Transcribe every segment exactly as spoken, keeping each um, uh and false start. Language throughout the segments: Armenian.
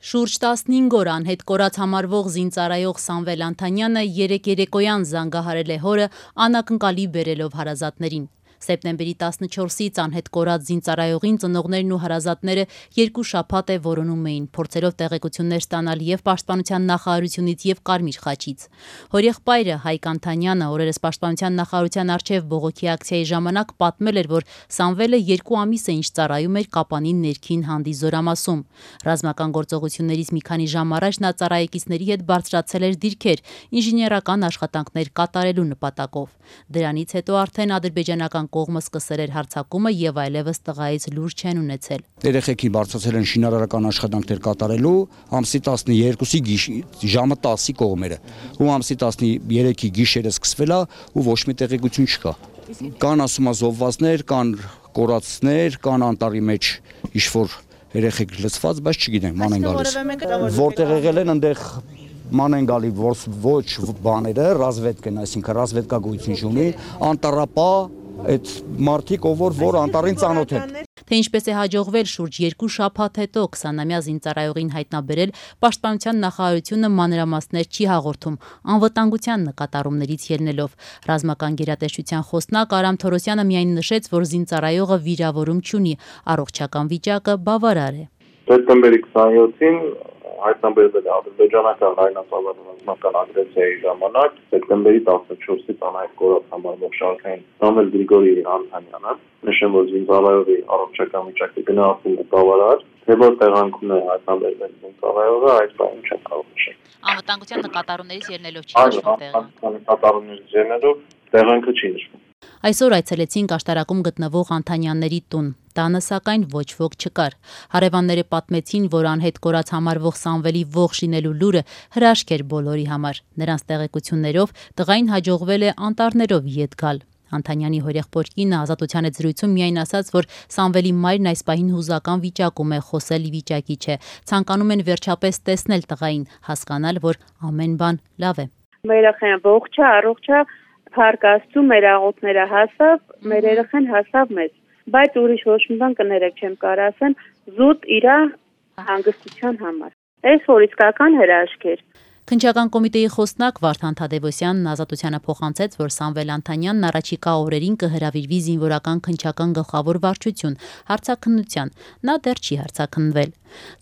Շուրջ տասնհինգ օր անհետ կորած համարվող զինծառայող Սամվել Անթանյանը երեկ երեկոյան զանգահարել է հորը անակնկալի բերելով հարազատներին։ Սեպտեմբերի տասնչորսից անհետ կորած զինծառայողին ծնողներն ու հարազատները երկու շաբաթ է որոնում էին, փորձելով տեղեկություններ ստանալ և Պաշտպանության նախարարությունից և Կարմիր խաչից։ Հորեղբայրը Հայկ Անթանյանը օրերս Պաշտպանության նախարարության առջև բողոքի ակցիայի ժամանակ պատմել էր, որ Սամվելը երկու ամիս է ինչ ծառայում էր Կապանի ներքին հանդի Զորամասում։ Ռազմական գործողություններից մի քանի ժամ առաջ նա ծառայեկիցների հետ բարձրացել էր դիրքեր ինժեներական աշխատանքներ կատարելու նպատակով։ Դրանից հետո արդեն ադրբեջանական կողմը սկսել էր հարձակումը եւ այլևս տղայից լուր չեն ունեցել։ Երեխեքին բարձրացել են շինարարական աշխատանքներ կատարելու ամսի տասնյոթի ժամը տասի կողմերը։ Ու ամսի տասներեքի գիշերը սկսվել է ու ոչ մի տեղեկություն չկա։ Կան ասում զոհվածներ, կան կորածներ, կան անտառի մեջ ինչ-որ երեխեք լցված, բայց չգիտենք ման են գալիս։ Որտեղ եղել են այնտեղ ման են գալի ոչ բաները, ռազմետկեն, այսինքն ռազմետկա գույություն չունի, անտառապա այդ մարդիկ, ով որ անտառին ծանոթ են։ Թե ինչպես է հաջողվել շուրջ երկու շաբաթ հետո քսանամյա զինծառայողին հայտնաբերել, Պաշտպանության նախարարությունը մանրամասներ չի հաղորդում, անվտանգության նկատառումներից ելնելով։ Ռազմական գերատեսչության խոսնակ Արամ Թորոսյանը միայն նշեց, որ զինծառայողը վիրավորում չունի, առողջական վիճակը բավարար է։ Սեպտեմբերի քսանյոթին հայտնաբերվել է ադրբեջանական լայնածավալ ռազմական ագրեսիայի ժամանակ սեպտեմբերի տասնչորսից անհայտ կորած համարվող շարքային Սամվել Գրիգորի Անթանյանը, նշեմ, որ զինծառայողի առողջական վիճակը գնահատվում է բավարար, թե որ տեղանքում է հայտնաբերվել զինծառայողը, այս բանը չեմ կարող նշել։ Անվտանգության նկատառումներից ելնելով չի նշվում տեղանքը։ Նկատառումներից ելնելով տեղանքը չի նշվում։ Այսօր այցելեցինք աշտարակում գտնվող Անթանյանների տուն։ Տանը սակայն ոչ ոք չկար։ Հարևանները պատմեցին, որ անհետ կորած համարվող Սամվելի ողջ լինելու լուրը հրաշք էր բոլորի համար։ Նրանց տեղեկություններով տղային հաջողվել է անտառներով ետ գալ։ Անթանյանի հորեղբոր կինը Ազատության հետ զրույցում միայն ասաց, որ Սամվելի մայրն այս պահին հուզական վիճակում է, խոսել վիճակի չէ։ Ցանկանում են վերջապես տեսնել տղային, հասկանալ, որ ամեն բան լավ է։ Մեր երեխան ողջ է, առողջ է, փառք Աստծո, մեր աղոթները հասավ, մեր երեխան հասավ մեզ, բայց ուրիշ ոչ մի բան կներեք չեմ կարող ասեմ, զուտ իրա հանգստության համար։ Այս որ իսկական հրաշք էր։ Քննչական կոմիտեի խոսնակ Վարդան Թադևոսյանն Ազատությանը փոխանցեց, որ Սամվել Անթանյանն առաջիկա օրերին կհրավիրվի զինվորական քննչական գլխավոր վարչություն հարցաքննության։ Նա դեռ չի հարցաքննվել։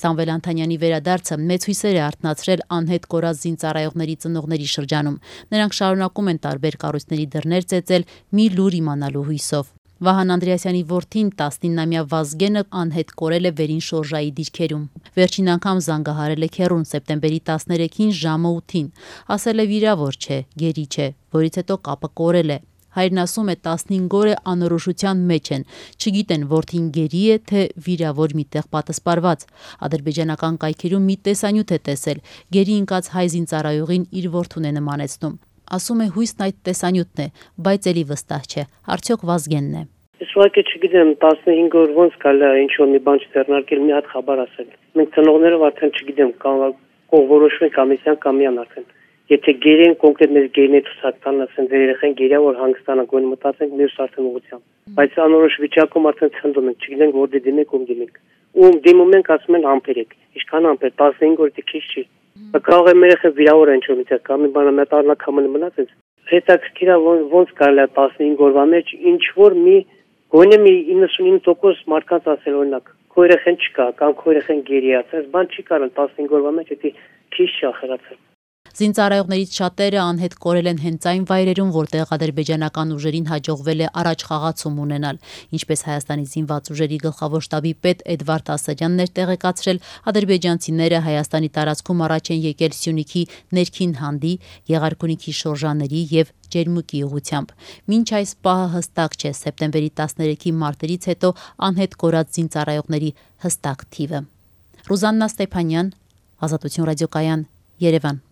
Սամվել Անթանյանի վերադարձը մեծ հույսեր է արթնացրել անհետ կորած զինծառայողների ծնողների շրջանում։ Նրանք շարունակում են տարբեր կառույցների դռներ ծեծել մի լուր իմանալու հույսով։ Վահան Անդրեասյանի որդին տասնինամյա Վազգենը անհետ կորել է Վերին Շորժայի դիրքերում։ Վերջին անգամ զանգահարել է քեռուն սեպտեմբերի տասներեքին ժամը ութին։ Ասել է վիրավոր չէ, գերի չէ, որից հետո կապը կորել է։ Հայրն ասում է տասնհինգ օր է անորոշության մեջ են, չգիտեն որդին գերի է, թե վիրավոր միտեղ պատսպարված։ Ադրբեջանական կայքերում մի տեսանյութ է տեսել, գերի ընկած հայ զինծառայողին իր որդուն է նմանեցնում։ Ասում է հույսն այդ տեսանյութն է, բայց էլի վստահ չէ, արդյոք Վազգենն է։ Ես ուղղակի չգիտեմ տասնհինգ օր ոնց կարելի է ինչ-որ մի բան չձեռնարկել, մի հատ խաբար ասել։ Մենք ծնողներով արդեն չգիտեմ, կամ որոշվում ենք ամիսյան կամ միան արդեն։ Եթե գերեն կոնկրետ մեր գերին ցուցակցան, ասեն ձեր երեխան գերիա, որ հանգստանա, գոնե մտածենք մյուս արդեն ուղղությամբ։ Բայց անորոշ վիճակում արդեն ցնդում ենք, չգիտենք որտե դիմենք, ում դիմենք։ Ում դիմում ենք, ասում են ամպեր եք։ Ինչքան ամպեր, տասնհինգ օր դե քիչ չի։ Կարող է մեր երեխան վիրավոր են ինչ-որ միտեղ կամ մի բան մետառնակամը մնացած։ Հետաքրքիր է ոնց կարելի է տասնհինգ օրվա մեջ ինչ-որ մի գոնե մի իննսունինը տոկոս մարդկանց ասել օրինակ քո երեխան չկա կամ քո երեխան գերի է, այս բան չի կարող տասնհինգ օրվա մեջ դա քիչ չի ախերացել։ Զինծառայողներից շատերը անհետ կորել են հենց այն վայրերում, որտեղ ադրբեջանական ուժերին հաջողվել է առաջ խաղացում ունենալ։ Ինչպես Հայաստանի զինված ուժերի գլխավոր շտաբի պետ Էդվարդ Ասատրյանն էր տեղեկացրել, ադրբեջանցիները Հայաստանի տարածքում առաջ են եկել Սյունիքի ներքին հանդի, Եղարքունիքի շորժաների եւ Ջերմուկի ուղությամբ։ Մինչ այս պահը հստակ չէ սեպտեմբերի տասներեքի մարտերից հետո անհետ կորած զինծառայողների հստակ թիվը։ Ռուզաննա Ստեփանյան, Ազատություն ռադիոկայան, Երևան։